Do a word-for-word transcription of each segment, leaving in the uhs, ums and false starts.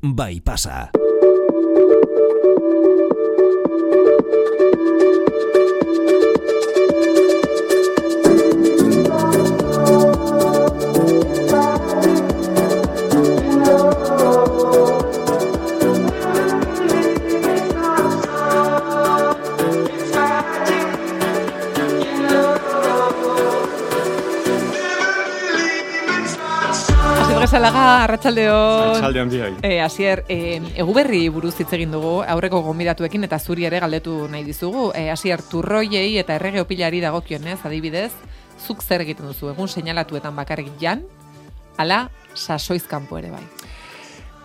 bai pasa. Salaga, arratsaldeon. Arratsaldeon bioi. Eh, Asier, eh, Eguberri buruz hitz egin dugu, aurreko gonbidatuekin eta zuri ere galdetu nahi dizugu. Eh, Asier, turroiei eta errege opilari dagokionez, adibidez, zuk zer egiten duzu, egun seinalatuetan bakarrik jan, ala sasoiz kanpo ere bai.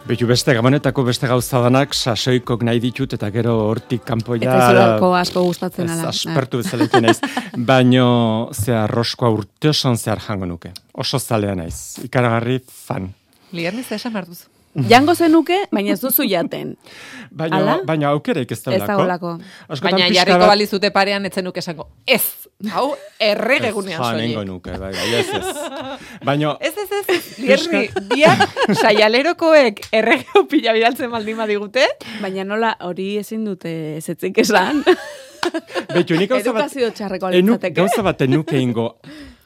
Betu beste gabonetako beste gauza danak sasoikok nahi ditut eta gero hortik kanpo ja... Eta zelako asko gustatzen ala. Aspertu bezala naiz. Baino zehar roskoa urte oson zehar jango nuke. Oso zalea naiz. Ikaragarri fan. Lierniz esan marduzu. Jango zenuke, baina ez duzu jaten. Baina, baina aukerek ez daulako. Ez daulako. Baina jarriko balizute parean etzen nuke esango. Ez! Hau, erregegunean soilik. Janengo nuke, bai, bai, ez ez. Baina... Ez, ez, ez, Lierni, biak saialerokoek errege opila bidaltzen baldin badigute. Baina nola hori ezin dute ezetzik esan. Betu, nik gauza bat... Edukazio txarreko alitzateke. Gauza bat enuke ingo...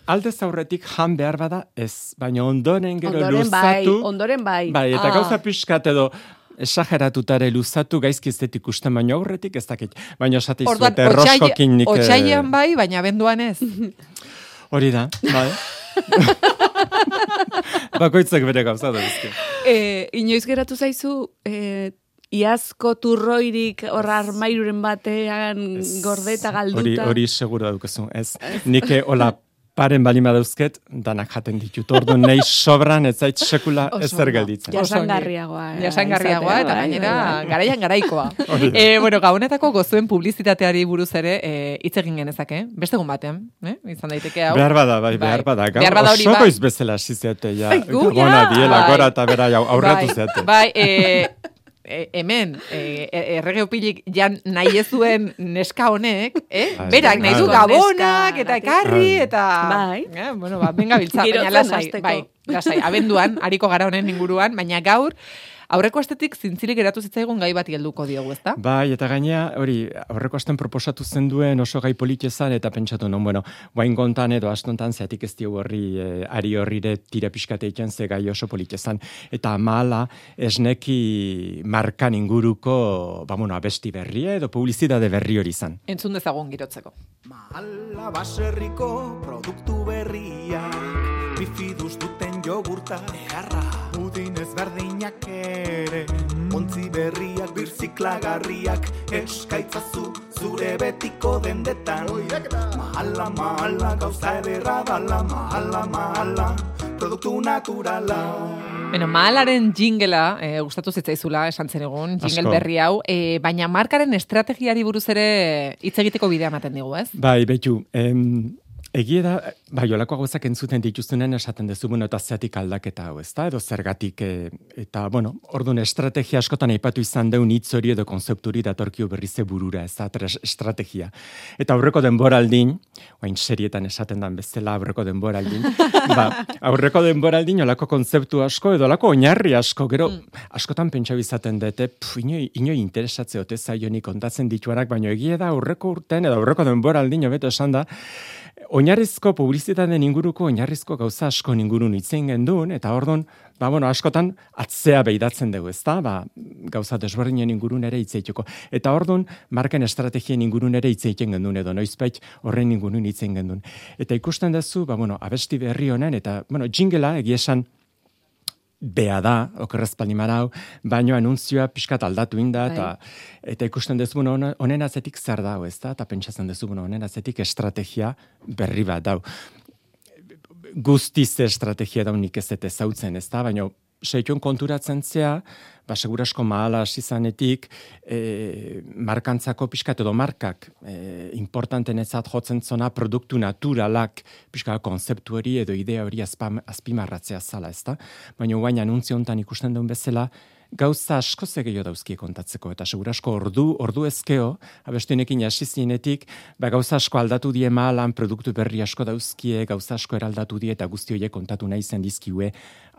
Aldez aurretik jan behar bada ez, baina ondoren gero ondoren luzatu. Bai, ondoren bai. Bai, eta ah. gauza pixkat edo esageratutare luzatu gaizkiztet ikusten, baina aurretik ez dakit. Baina esate izuet, erroskokin nik... Otsailean bai, baina benduan ez. Hori da, bai. Bakoitzak bere gauza da bizke. Eh, inoiz geratu zaizu... Eh, Iazko turroirik horra armairuren batean gordeta galduta. Hori, hori seguro daukazu, ez. Nike hola paren bali madauzket, danak jaten ditut. Ordu nahi sobran ez zait sekula ezer gelditzen. Jasangarriagoa. Eh, Jasangarriagoa eta gainera garaian garaikoa. eh, bueno, gabonetako gozuen publizitateari buruz ere hitz eh, egin genezake. Beste egun batean, eh? Izan daiteke hau. Behar bada, bai, behar bada. Behar bada hori, osoko bai. izbezela asizeate, ja. Gona diela, bai. gora eta bera aurratu zeate. Bai, eh... E, hemen, e, errege opilik jan nahi ez duen neska honek, eh? Ai, berak nahi du ai. gabonak eta ekarri, eta... Bai. Eh, bueno, ba, benga biltza, baina lasai, bai, lasai, abenduan, hariko gara honen inguruan, baina gaur, aurreko astetik zintzilik geratu zitzaigun gai bati helduko diogu, ezta? Bai, eta gainea, hori, aurreko asten proposatu zen duen oso gai politizan, eta pentsatu non, bueno, guain gontan edo astontan zeatik ez diogu horri, eh, ari horrire tira pixkate iken ze gai oso politizan. Eta amala, esneki markan inguruko, ba, bueno, abesti berria edo publizitate berri hori izan. Entzun dezagun girotzeko. Mahala baserriko produktu berriak, bifidus duten jogurta, egarra, budin ezberdinak ere, ontzi berriak, birziklagarriak, eskaitzazu zure betiko dendetan. Mahala, mahala, gauza ederra dala, mahala, mahala, produktu naturala. Bueno, mahalaren jingela, eh, gustatu zitzaizula, esan zen egun, jingle berri hau, eh, baina markaren estrategiari buruz ere hitz egiteko bidea ematen digu, ez? Bai, betu, em, egia da, bai, olako gauzak entzuten dituztenen esaten dezu, bueno, eta zeatik aldaketa hau, ezta? Edo zergatik, e, eta, bueno, orduan estrategia askotan aipatu izan deun hitz hori edo konzepturi datorkio berrize burura, ez da, estrategia. Eta aurreko denboraldin, oain serietan esaten dan bezala aurreko denboraldin, ba, aurreko denboraldin olako konzeptu asko edo olako oinarri asko, gero, askotan pentsau izaten dute, pf, inoi, inoi interesatze ote zaionik kontatzen dituanak, baina egia da aurreko urten edo aurreko denboraldin hobeto esan da, oinarrizko publizitateen inguruko oinarrizko gauza asko ingurun hitzein gendun, eta ordon, ba, bueno, askotan atzea behidatzen dugu, ezta? Ba, gauza desberdinen ingurun ere hitzeituko. Eta ordon, marken estrategien ingurun ere hitzeiten gendun, edo noizbait horren ingurun hitzein gendun. Eta ikusten duzu, ba, bueno, abesti berri honen, eta, bueno, jingela, egia esan, bea da, okerrez palimarau, baino anuntzioa pixkat aldatu inda, eta, eta ikusten dezu, bueno, honen azetik zer dau, ez da? Eta pentsatzen dezu, bueno, honen azetik estrategia berri bat dau. Guztiz estrategia daunik ez eta ezautzen, ez da? Baina seitun konturatzen zea, ba, segurasko mahala hasi zanetik, e, markantzako pixkat edo markak e, importanten ezat jotzen zona produktu naturalak pixkat konzeptu hori edo idea hori azpam, azpimarratzea zala, ezta? Baina guain anuntzio hontan ikusten duen bezala, gauza asko zegio dauzkie kontatzeko, eta segurasko ordu, ordu ezkeo, abestienekin hasi zinetik, ba, gauza asko aldatu die malan, produktu berri asko dauzkie, gauza asko eraldatu die, eta guzti horiek kontatu nahi zen dizkiue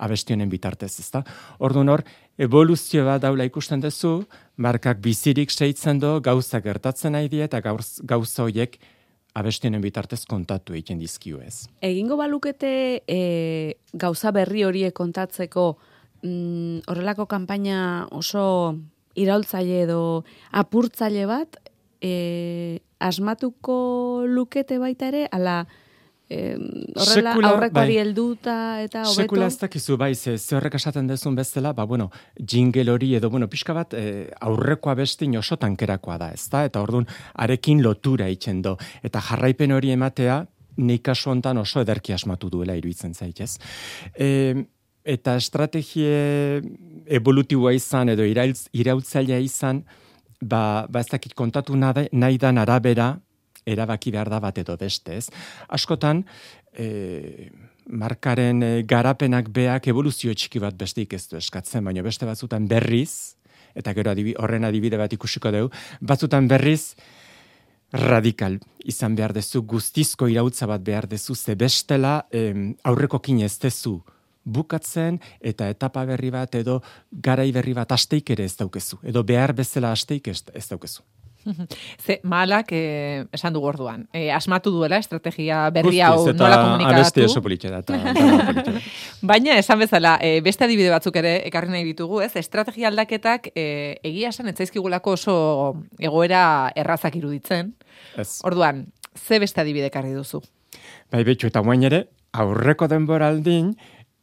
abestionen bitartez, ezta? Orduan hor, evoluzio bat daula ikusten duzu, markak bizirik seitzen do, gauza gertatzen nahi die, eta gauz, gauza horiek abestienen bitartez kontatu egiten dizkiu ez. Egingo balukete e, gauza berri horiek kontatzeko mm, horrelako kanpaina oso iraultzaile edo apurtzaile bat e, asmatuko lukete baita ere, ala e, horrela Sekula, aurrekoari bai. helduta eta hobeto. Sekula ez dakizu, bai, ze, ze horrek esaten dezun bezala, ba, bueno, jingle hori edo, bueno, pixka bat e, aurrekoa bestin oso tankerakoa da, ezta? Eta orduan, arekin lotura eitzen do. Eta jarraipen hori ematea, nik kasu hontan oso ederki asmatu duela iruditzen zaitez. E, eta estrategie evolutiboa izan edo irautz, irautzailea izan, ba, ba ez dakit kontatu nahi, nahi dan arabera, erabaki behar da bat edo beste, ez? Askotan, e, markaren e, garapenak beak evoluzio txiki bat besteik ez du eskatzen, baina beste batzutan berriz, eta gero adibi, horren adibide bat ikusiko dugu, batzutan berriz radikal izan behar dezu, guztizko irautza bat behar dezu, ze bestela em, aurrekokin ez dezu bukatzen, eta etapa berri bat edo garai berri bat asteik ere ez daukezu, edo behar bezala asteik ez, ez daukezu. Ze, malak, eh, esan dugu orduan, eh, asmatu duela estrategia berri hau nola komunikatu. Abesti oso politxe da, eta Baina, esan bezala, eh, beste adibide batzuk ere ekarri nahi ditugu, ez? Estrategia aldaketak eh, egia esan etzaizkigulako oso egoera errazak iruditzen. Ez. Orduan, ze beste adibide ekarri duzu? Bai, betxu, eta guain ere, aurreko denboraldin,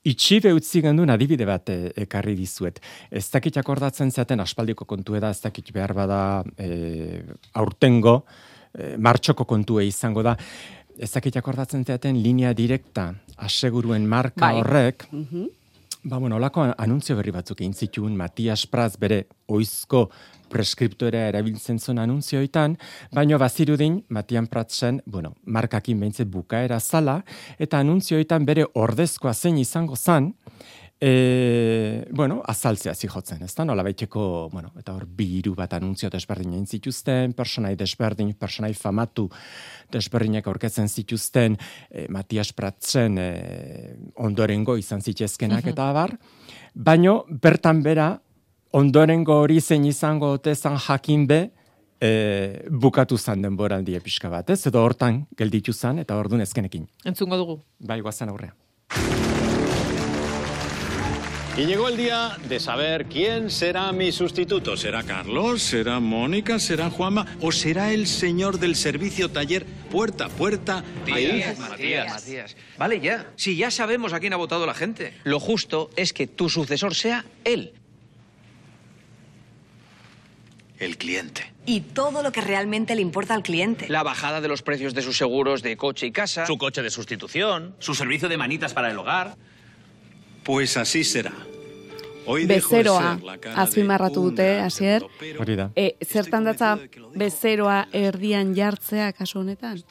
itxibe utzi gendun adibide bat e, ekarri dizuet. Ez dakit akordatzen zaten aspaldiko kontu da, ez dakit behar bada e, aurtengo, e, martxoko kontue izango da. Ez dakit akordatzen zaten linea direkta aseguruen marka bai. horrek, Mhm. ba, bueno, olako anuntzio berri batzuk egin zituen, Matias Prats bere oizko preskriptorea erabiltzen zuen anuntzioetan, baino bazirudin Matian Pratsen, bueno, markakin behintzet bukaera zala, eta anuntzioetan bere ordezkoa zein izango zan, e, bueno, azaltzea zijotzen, ez da? Nola baiteko, bueno, eta hor bi hiru bat anuntzio desberdin egin zituzten, personai desberdin, personai famatu desberdinak aurketzen zituzten, e, Matias Pratsen e, ondorengo izan zitezkenak eta abar, baino bertan bera, ondorengo hori zein izango ote zan jakin be, e, bukatu zan denboraldi pixka bat, ez? Edo hortan gelditu zan, eta ordun ezkenekin. Entzungo dugu. Bai, guazen aurrea. Y llegó el día de saber quién será mi sustituto. ¿Será Carlos? ¿Será Mónica? ¿Será Juanma? ¿O será el señor del servicio taller puerta a puerta? Matías, Matías, Matías. Vale ya, si ya sabemos a quién ha votado la gente. Lo justo es que tu sucesor sea él. El cliente. Y todo lo que realmente le importa al cliente. La bajada de los precios de sus seguros de coche y casa. Su coche de sustitución, su servicio de manitas para el hogar. Pues así será. Hoy dejo de Bezeroa ser la cara de azpimarratu un dute, gran Asier. europeo. Hori da. E, zertan datza bezeroa erdian jartzea kasu honetan?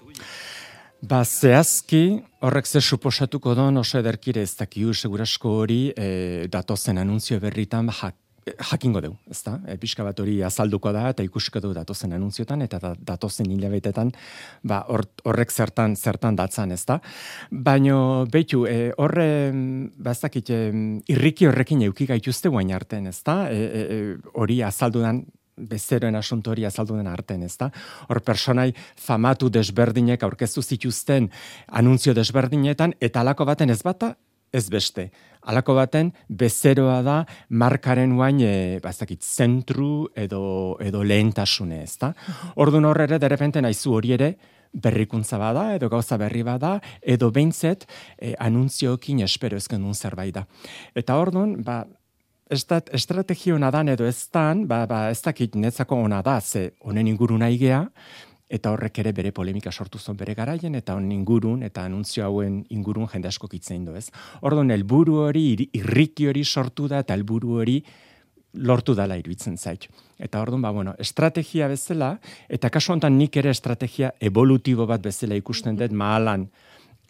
Ba, zehazki, horrek ze suposatuko don oso ederkire ez dakiu segurasko hori e, datozen anuntzio berritan jak, jakingo deu, ezta? E, pixka bat hori azalduko da eta ikusiko du datozen anuntziotan eta da, datozen hilabetetan ba, or, horrek zertan zertan datzan, ezta? Baino, beitu, e, horre, ba, ez dakit, e, irriki horrekin euki gaituzte guain arten, ezta? E, e, e, hori azaldudan bezeroen asunto hori azaldu den arten, ezta? Hor personai famatu desberdinek aurkeztu zituzten anuntzio desberdinetan, eta halako baten ez bata, ez beste. Halako baten bezeroa da markaren guain, e, bazakit, zentru edo, edo lehentasune, ezta? Ordun hor ere, derrepente naizu hori ere, berrikuntza bada, edo gauza berri bada, edo behintzet, e, anuntzioekin espero ezken duen zerbait da. Eta ordun, ba, Estat, estrategio ona dan edo ez dan, ba, ba, ez dakit netzako ona da, ze honen ingurun aigea, eta horrek ere bere polemika sortu zuen bere garaien, eta honen ingurun, eta anuntzio hauen ingurun jende asko kitzein du, ez? Orduan, helburu hori, irriki hori sortu da, eta helburu hori lortu dala iruditzen zait. Eta orduan, ba, bueno, estrategia bezala, eta kasu honetan nik ere estrategia evolutibo bat bezala ikusten dut, mahalan,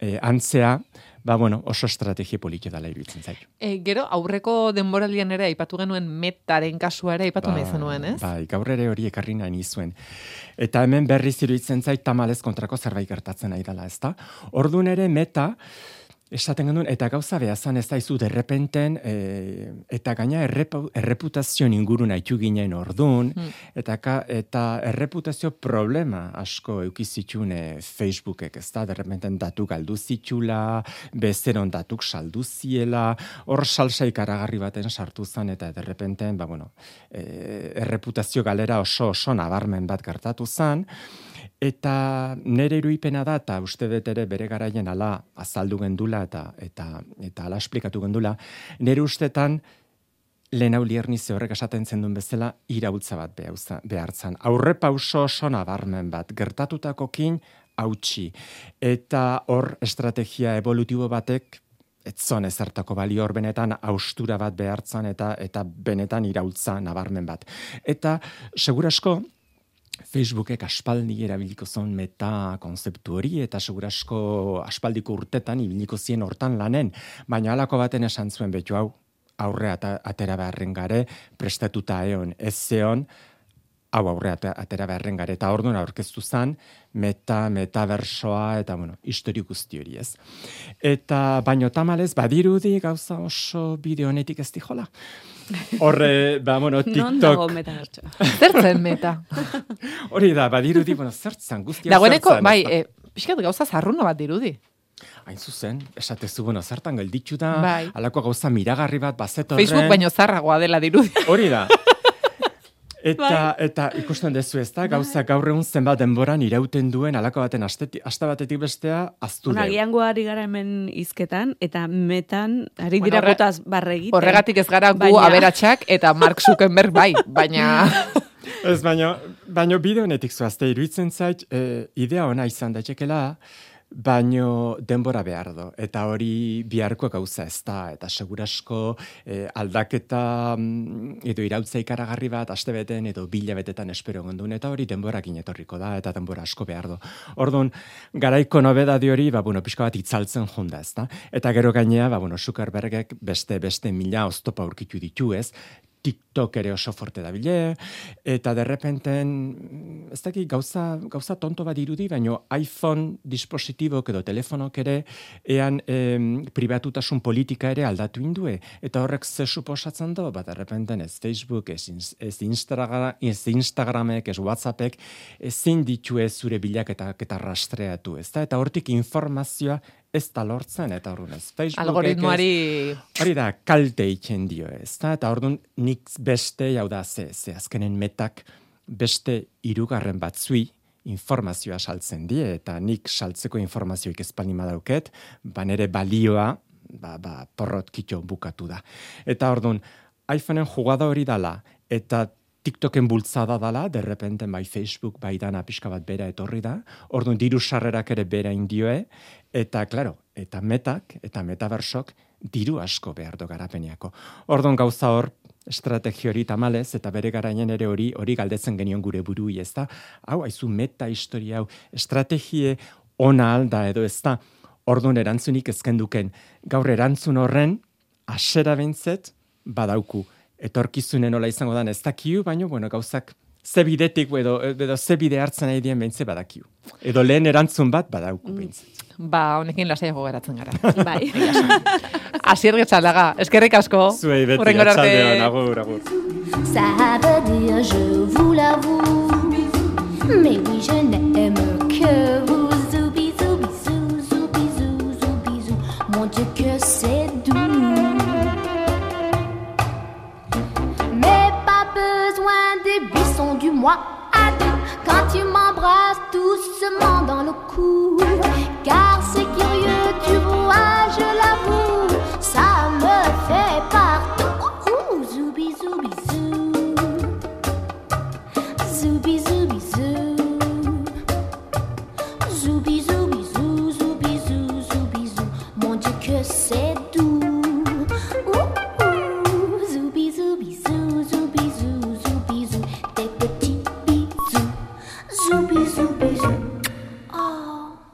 e, antzea, ba, bueno, oso estrategia polito dela iruditzen zaitu. E, gero, aurreko denboraldian ere aipatu genuen metaren kasua ere aipatu ba, nahi zenuen, ez? Bai, gaur ere hori ekarri nahi nizuen. Eta hemen berriz iruditzen zait tamalez kontrako zerbait gertatzen nahi dela, ezta? Orduan ere meta, esaten genuen, eta gauza behazan ez daizu derrepenten, e, eta gaina errepu, erreputazio inguru nahitu ginen orduan, hmm. eta, ka, eta erreputazio problema asko eukizitxun e, Facebookek, ez da, derrepenten datu galdu zitxula, bezeron datuk saldu ziela, hor salsa ikaragarri baten sartu zen, eta derrepenten, ba, bueno, e, erreputazio galera oso oso nabarmen bat gertatu zen, eta nere iruipena da, eta uste dut ere bere garaien ala azaldu gendula, eta eta eta ala esplikatu gendula, nere ustetan lehen hau liernize horrek esaten zendun bezala iraultza bat behartzan. Aurre pauso oso nabarmen bat, gertatutakokin hautsi. Eta hor estrategia evolutibo batek etzon ezertako balio hor benetan haustura bat behartzan eta eta benetan iraultza nabarmen bat. Eta segurasko Facebookek aspaldi erabiliko zon meta konzeptu hori, eta segurasko aspaldiko urtetan ibiliko zien hortan lanen, baina halako baten esan zuen betu hau, aurre atera beharren gare, prestatuta eon, ez zeon, hau aurre atera beharren gare, eta orduan aurkeztu zen, meta, metaversoa, eta bueno, histori guzti hori ez. Eta baino tamalez, badirudi gauza oso bideo honetik ez dijola. Horre, ba, bueno, TikTok... Non dago metaverso? Zertzen meta? Hori da, badirudi, bueno, zertzan, guztia dagoeneko, zertzan. Bai, e, pixkat gauza zarruna bat dirudi. Hain zuzen, esatezu, bueno, zertan gelditxu da, bai. Halako gauza miragarri bat, bazetorren... Facebook baino zarragoa dela dirudi. Hori da. Eta, eta ikusten dezu ez da, gauza gaur egun zenbat denboran irauten duen alako baten asteti, asta batetik bestea aztu deu. Giango ari gara hemen hizketan, eta metan ari dira bueno, gotaz barregiten. Horregatik ez gara gu baina... aberatsak eta Mark Zuckerberg bai, baina... Ez baino, baino bide honetik zoazte iruditzen zait, e, idea ona izan daitekela, baino denbora behar do. Eta hori biharko gauza ez da. Eta segurasko eh, aldaketa edo irautza ikaragarri bat astebeten edo bilabetetan espero gondun. Eta hori denborakin etorriko da eta denbora asko behar do. Orduan, garaiko nobedade hori, ba, bueno, pixka bat itzaltzen jonda ez da. Eta gero gainea, ba, bueno, Zuckerbergek beste beste mila oztopa aurkitu ditu ez. TikTok ere oso forte dabile, eta derrepenten, ez dakit, gauza, gauza tonto bat irudi, baino iPhone dispositibok edo telefonok ere, ean em, pribatutasun politika ere aldatu indue, eta horrek ze suposatzen do, bat derrepenten ez Facebook, ez, ez, Instagram, ez Instagramek, ez WhatsAppek, ezin ditu ez zure bilaketak eta rastreatu, ez da, eta hortik informazioa ez da lortzen, eta orduan ez. Algoritmoari... Hori da, kalte itzen dio, ez da, eta orduan nik beste, jau da, ze, ze azkenen metak beste hirugarren batzui informazioa saltzen die, eta nik saltzeko informazioik ezpalima dauket, ba nere balioa, ba, ba, porrot kitxo bukatu da. Eta orduan, iPhoneen jugada hori dala, eta TikToken bultzada dala, derrepenten bai Facebook, bai dana pixka bat bera etorri da, orduan diru sarrerak ere bera indioe, eta, klaro, eta metak, eta metaversok, diru asko behar do garapeniako. Orduan gauza hor, estrategi hori tamalez, eta bere garainen ere hori, hori galdetzen genion gure burui, ez da? Hau, haizu meta historia, hau, estrategie ona alda edo ez da, orduan erantzunik ezkenduken, gaur erantzun horren, asera bintzet, badauku. Etorkizunen nola izango dan ez dakiu, baina, bueno, gauzak ze bidetik edo, edo ze bide hartzen nahi dien behintze badakiu. Edo lehen erantzun bat badauku behintze. Ba, honekin lasaiago geratzen gara. Bai. Asier Getxaldaga, eskerrik asko. Zuei beti, Getxaldeon, agur, agur. Ça veut dire je vous l'avoue, mais oui je n'aime que vous. Zoubi, zoubi, zou, zoubi, zou, zoubi, zou. Mon Dieu que c'est doux. Des buissons du mois à deux quand tu m'embrasses doucement dans le cou, car c'est curieux.